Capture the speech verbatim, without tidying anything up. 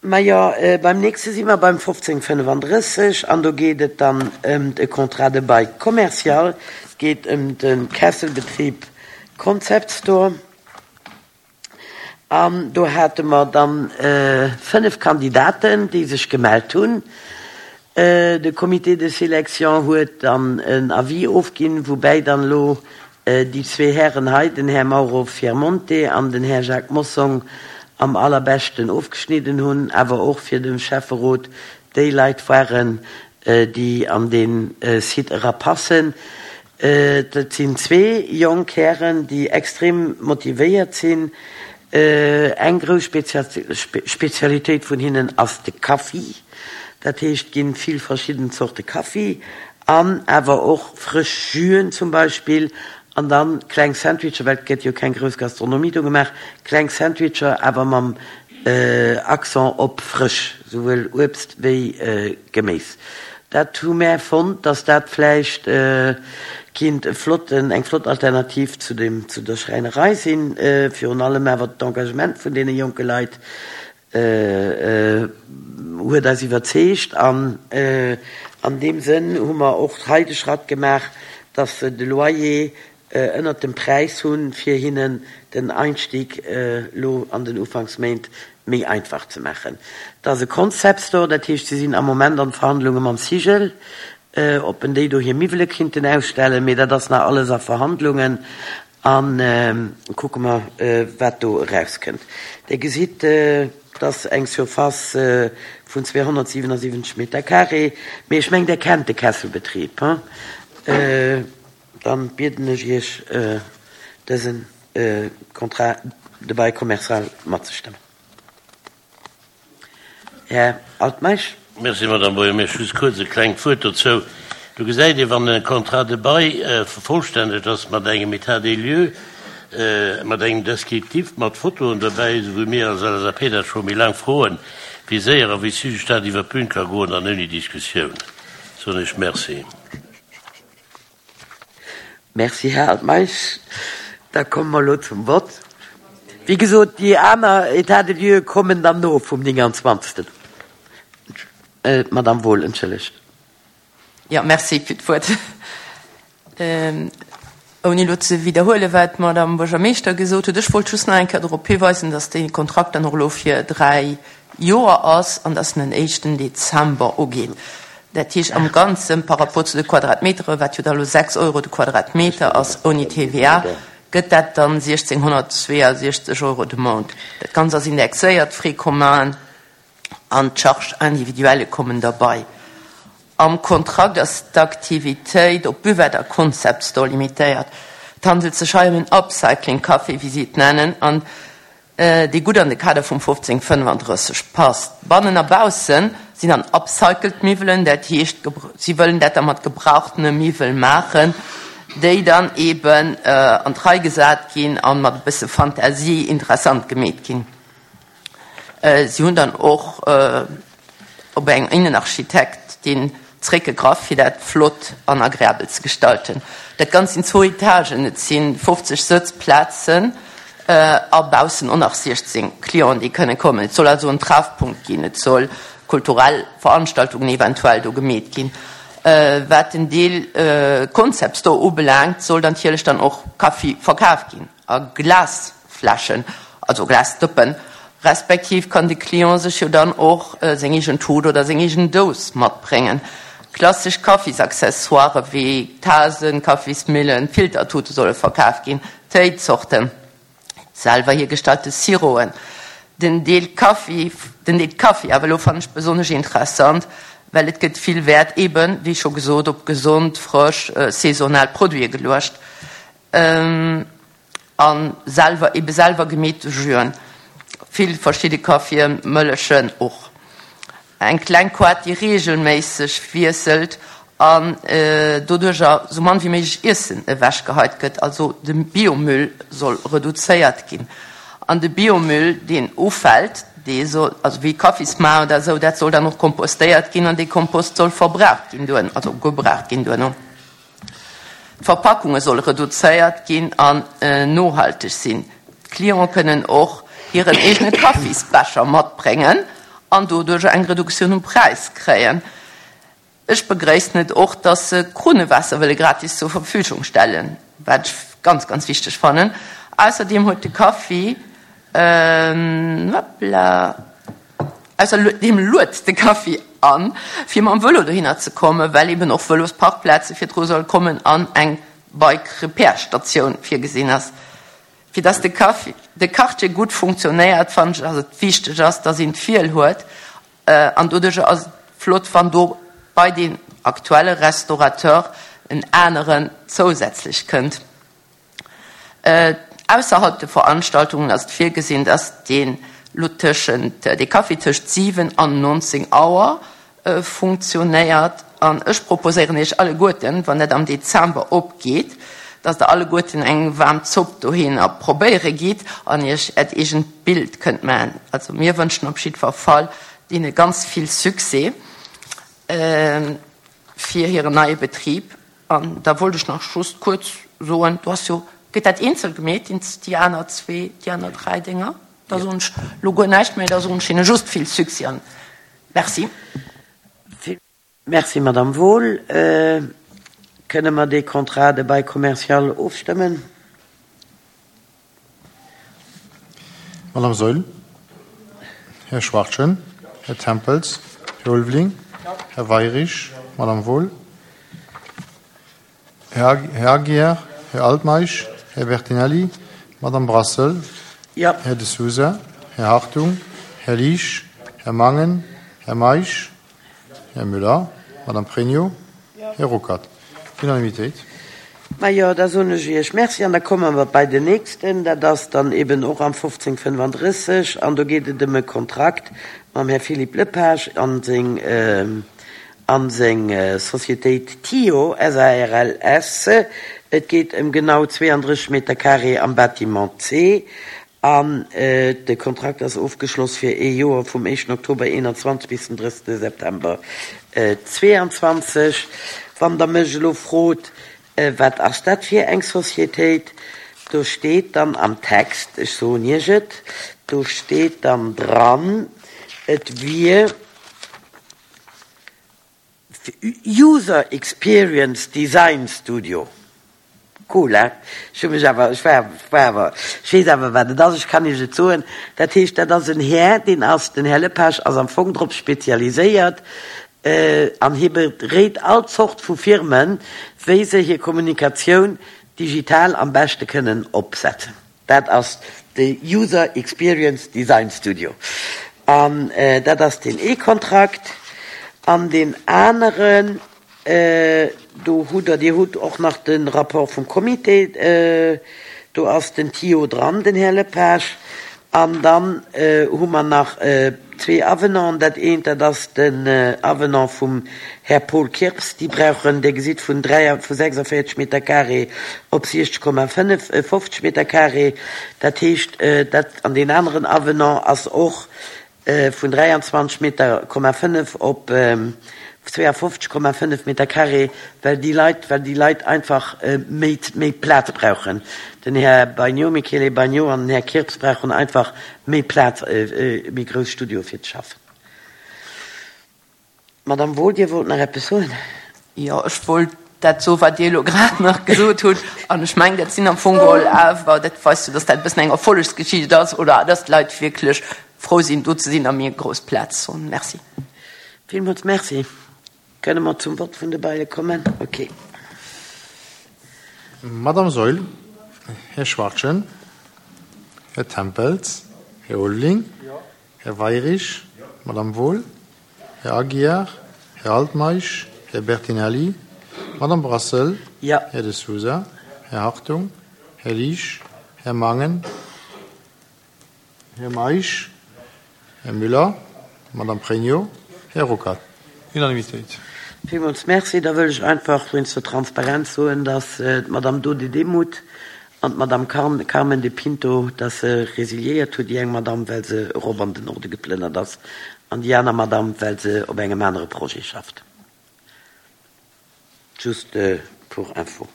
Majo, beim nächste si mer beim fofzéng fënnefandrësseg an do geet et dann ëm de Contrat de bail commercial. Et geet ëm de Kesselbetrib Concept Store. An do hate mer dann fënnef Kandidaten, déi sech gemellt hunn. De Comité de sélection huet dann en Avis ofginn, woubäi dann elo déi zwee Hären hei, den Här Mauro Fiermonte an den Här Jacques Mossong, am allerbeschten ofgeschnidden hunn, awer och fir dem Schäfferot déi Leit waren, déi an dee Site erapassen. Dat sinn zwee jonk Hären, déi extrem motivéiert sinn. Eng grouss Spezialitéit vun hinnen ass de Kaffi. Dat heescht, et gi vill verschidden Zorte Kaffi an awer och frësch Jüen zum Beispill an dann kleng Sandwicher, well et gëtt jo keng grouss Gastronomie do gemaach, kleng Sandwicher awer mam Accent op frësch, souwuel Uebst wéi Geméis. Dat hu mär fonnt, dass dat vläicht kinnt e flotten, eng flott Alternativ zu dem, zu der Schräinerei sinn, virun allem awer d'Engagement vun deene jonke Leit huet eis iwwerzeegt an an deem Sënn hu mer och hei de Schratt gemaach, dass se de Loyer ënnert dem Präis hunn, fir hinnen den Einstieg elo an den Ufanksméint méi einfach ze maachen. Et ass e Concept Store, dat heescht, si sinn am Moment an Verhandlunge mam Sigel, ob en déi do hir Miwwele kinnten ausstellen, mee dat ass nach alles a Verhandlungen a kucke mer, wat do erauskënnt. Dir gesitt, et ass eng Surface vun zweehonnertsiwenasiwwenzeg Meter carré, mee ech mengen, Dir kennt de Kesselbetrib, hein? Dann bieden ech Iech, dësen Contrat de bail commercial matzestëmmen. Här Altmeisch. Merci, Madame Buergermeeschtesch. Just kuerz e klengt Wuert dozou. Do gesäit ee, wann e Contrat de bail vervollstännegt ass mat engem État des lieux, mat engem Descriptif, mat Fotoen dobäi, esou wéi mir als L S A P dat scho méi laang froen, wéi séier a wéi zügeg dat iwwer d'Bün ka goen an ouni Diskussioun. Soen ech Merci. Merci, Här Altmeisch. Da komme mer elo zum Vott. Wéi gesot, déi aner États des lieux kommen dann no vum nénganzwanzegsten. Madame Wohl, entschëllegt. Jo, merci fir d'Wuert. Ouni elo ze widderhuelen, wat d'Madame Buergermeeschter gesot huet, ech wollt just nach eng Kéier dorop hiweisen, dass dee Kontrakt dann och elo fir dräi Joer ass an dass en den éischten Dezember ugeet. Dat heescht am Ganzen, par rapport zu de Quadratmetere, wat jo da elo sechs Euro de Quadratmeter ass ouni T V A, gëtt dat dann siechzénghonnertzweeasiechzeg Euro de Mount. Dat Ganzt ass indexéiert, d'Frais communs an d'Charges individuelles kommen derbei. Am Kontrakt ass d'Aktivitéit op Buvette a Concept Store limitéiert. Et handelt sech hei ëm en Upcycling Café, wéi si et nennen, an dee gutt an de Kader vum fofzéng fënnefandrësseg passt. Bannen a bausse sinn dann upcycled Miwwelen, dat heescht, si wëllen dat da mat gebrauchtene Miwwel maachen, déi dann eben an d'Rei gesat ginn a mat e bësse Fantasie interessant gemeet ginn. Si hunn dann och op eng Innenarchitektin zréckgegraff, fir dat flott an agreabel ze gestalten. Dat Ganzt sinn zwou Etagen, et si fofzeg Sëtzplazen a baussen och nach siechzéng Clienten, déi kënne kommen. Et soll also en Treffpunkt ginn, et soll kulturell Veranstaltungen eventuell do gemeet ginn. Wat den Deel Concept Store ubelaangt, soll dann natierlech dann och Kaffi verkaf ginn a Glasfläschen, also Glasdëppen, respektiv kann de Client sech jo dann och seng eegen Tut oder seng eegen Dous matbréngen. Klassesch Kaffisaccessoiren wéi Tasen, Kaffismillen, Filtertute solle verkaf ginn, Téizorten, selwer hiergestallte Siroen. Den Deel Kaffi, den Deel Kaffi awer elo fannen ech besonnesch interessant, well et gëtt vill Wäert eben, wéi scho gesot, op gesond, frësch, saisonal Produite geluecht a selwer, ebe selwer gemeete Jüen, vill verschidde Kaffien, Mëllegen och. Eng kleng Koart, déi reegelméisseg wiesselt an doduercher sou mann wéi méiglech Iessen ewechgeheit gëtt, also de Biomüll soll reduzéiert ginn. An de Biomüll, deen ufält, dee soll, also wéi Kaffismaer oder esou, dat soll dann och kompostéiert ginn an dee Kompost soll verbraucht ginn duerno, also gebraucht ginn duerno. D'Verpackunge solle reduzéiert ginn an nohalteg sinn. D'Clienten kënnen och hiren eegene Kaffisbecher matbréngen an doduerch eng Reduktioun um Präis kréien. Ech begréissen et och, dass se Krunnewaasser wëlle gratis zur Verfügung stellen, wat ech ganz, ganz wichteg fannen. Ausserdeem huet de Kaffi, hoppla, ausserdeem luet de Kaffi an, fir mam Vëlo dohinner ze kommen, well eben och Vëlosparkplaze virdru soll kommen an eng Bike-Repair-Statioun virgesinn ass. Fir dass de Kaffi, de Quartier gutt funktionéiert, fannen ech, dass et wichteg ass, dass een d'Wiel huet an doduerch ass et flott, wann do bei deen aktuelle Restaurateur en aneren zousätzlech kënnt. Ausserhalb de Veranstaltungen ass et virgesinn, dass deen lo tëschent, dee Café tëscht siwen an nonzéng Auer funktionéiert. An ech proposéieren Iech alleguerten, wann dat am Dezember opgeet, dass Der alleguerten eng waarm Zopp dohinner probéiere gitt an Iech Äert eegent Bild kënnt maachen. Also mir wënschen op jiddwer Fall deene ganz vill Succès fir hiren neie Betrib. An da wollt ech nach just kuerz soen, do ass jo, gëtt dat eenzel gemeet, déi aner zwee, déi aner dräi Dénger? Da soen ech elo guer näischt méi, da soen ech hinne just vill Succès an Merci. Merci, Madame Wohl. Kënne mer dee Contrat de bail commercial ofstëmmen? Madame Saeul, Här Schwachtgen, Här Tempels, Här Ulveling, Här Weirich, Madame Wohl, Här Aguiar, Här Altmeisch, Här Bertinelli, Madame Brassel, Här De Sousa, Här Hartung, Här Liesch, Här Mangen, Här Meisch, Här Müller, Madame Pregno, Här Ruckert. Unanimitéit. Majo, da soen ech Iech Merci an da komme mer bei den nächsten. Dat ass dann eben och am fofzéng fënnfandrësseg an do geet et ëm e Kontrakt mam Här Philippe Lepage an seng an seng Societéit Tio S A R L S. Et geet ëm genau zweeandrësseg Meter carré am Bâtiment C an de Kontrakt ass ofgeschloss fir ee Joer vum éischten Oktober eenanzwanzeg bis den drëssigste September zweeanzwanzeg. Wann Der mech elo frot, wat ass dat fir eng Societéit, do steet dann am Text, ech soen Iech et, do steet dann dran, et wier User Experience Design Studio. Cool, hein? Ech hu mech awer, ech war, war awer, ech weess awer, wat et ass, ech kann Iech et soen. Dat heescht, dat ass en Här, deen ass, den Här Lepage ass am Fong drop spezialiséiert, an hie beréit all Zort vu Firmen, wéi se hir Kommunikatioun digital am beschte kënnen opsetzen. Dat ass de User Experience Design Studio. An dat ass deen ee Kontrakt. An deen aneren, do hutt Der, Dir hutt och nach de Rapport vum Comité, do ass den Tio dran, den Här Lepage. An dann hu mer nach zwee Avenanten. Dat eent, dat ass den Avenant vum Här Paul Kirps. Déi brauchen, Dir gesitt, vun dräi, vu sechsundvierzig Meter carré op siechzeg Komma fënnef, fofzeg Meter carré. Dat heescht, dat, an deen aneren Avenant ass och vun dräianzwanzeg Meter Komma fënnef op zweeafofzeg Komma fënnef Meter carré, well déi Leit, well déi Leit einfach méi, méi Plaz brauchen. Den Här Bagnot, Michele Bagnot an den Här Kirps brauchen einfach méi Plaz, méi grouss Studio fir ze schaffen. Madame Wohl, Dir wollt nach eppes soen? Jo, ech wollt dat soen, wat Dir elo grad nach gesot hutt. An ech mengen, dat sinn am Fong geholl awer, dat weist jo, dass dat e bëssen eng Erfollegsgeschicht ass oder dass d'Leit wierklech frou sinn, do ze sinn a mir grouss Plaz hunn. Merci. Villmools Merci. Kënne mer zum Vott vun de Baile kommen? Okay. Madame Saeul, Här Schwachtgen, Här Tempels, Här Ulveling, Här Weirich, Madame Wohl, Här Aguiar, Här Altmeisch, Här Bertinelli, Madame Brassel, Här De Sousa, Här Hartung, Här Liesch, Här Mangen, Här Meisch, Här Müller, Madame Pregno, Här Ruckert. Unanimitéit. Villmools Merci. Da wëll ech einfach wéinst der Transparenz soen, dass d'Madame Dode Demuth an d'Madame Carmen de Pinto, dass se résiliéiert huet, déi eng Madame, well se erop an den Norde geplënnert ass, an déi aner Madame, well se op engem anere Projet schafft. Just pour info.